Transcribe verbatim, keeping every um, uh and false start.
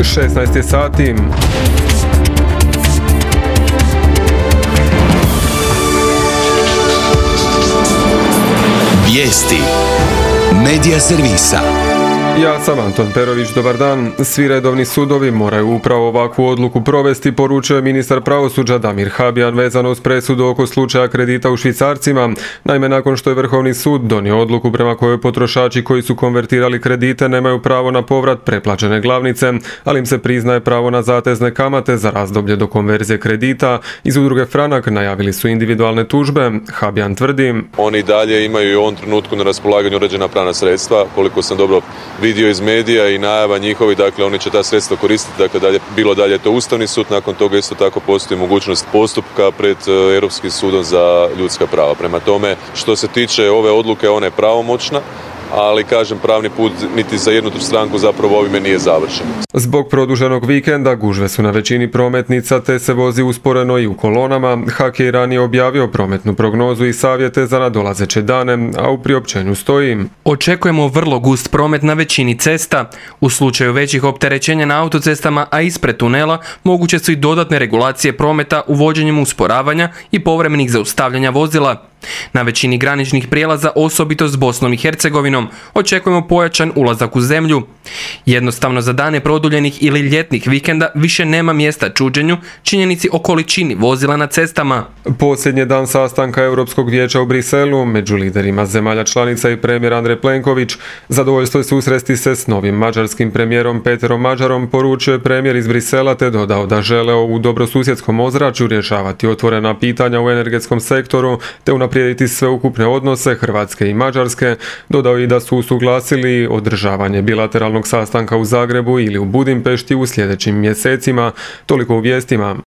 šesnaest je sati. Vijesti Medija servisa. Ja sam Anton Perović, dobar dan. Svi redovni sudovi moraju upravo ovakvu odluku provesti, poručio je ministar pravosuđa Damir Habijan vezano uz presudu oko slučaja kredita u švicarcima. Naime, nakon što je Vrhovni sud donio odluku prema kojoj potrošači koji su konvertirali kredite nemaju pravo na povrat preplaćene glavnice, ali im se priznaje pravo na zatezne kamate za razdoblje do konverzije kredita, iz udruge Franak najavili su individualne tužbe. Habijan tvrdi: Oni dalje imaju i u ovom trenutku na raspolaganju određena pravna sredstva, koliko sam dobro vidio iz medija i najava njihovi, dakle oni će ta sredstva koristiti, dakle dalje, bilo dalje to Ustavni sud, nakon toga isto tako postoji mogućnost postupka pred Europskim sudom za ljudska prava. Prema tome, što se tiče ove odluke, ona je pravomoćna, ali kažem, pravni put niti za jednu stranku zapravo ovime nije završen. Zbog produženog vikenda gužve su na većini prometnica te se vozi usporeno i u kolonama. H K je ranije objavio prometnu prognozu i savjete za nadolazeće dane, a u priopćenju stoji: Očekujemo vrlo gust promet na većini cesta. U slučaju većih opterećenja na autocestama, a ispred tunela, moguće su i dodatne regulacije prometa uvođenjem usporavanja i povremenih zaustavljanja vozila. Na većini graničnih prijelaza, osobito s Bosnom i Hercegovinom, očekujemo pojačan ulazak u zemlju. Jednostavno, za dane produljenih ili ljetnih vikenda više nema mjesta čuđenju, činjenici o količini vozila na cestama. Posljednji dan sastanka Europskog vijeća u Briselu među liderima zemalja članica i premijer Andrej Plenković zadovoljstvo je susresti se s novim mađarskim premijerom Peterom Mađarom, poručio je premijer iz Brisela te dodao da žele u dobrosusjedskom ozračju rješavati otvorena pitanja u energetskom sektoru te unaprijediti sveukupne odnose Hrvatske i Mađarske. Dodao i da su usuglasili održavanje bilateralnog sastanka u Zagrebu ili u Budimpešti u sljedećim mjesecima. Toliko u vijestima.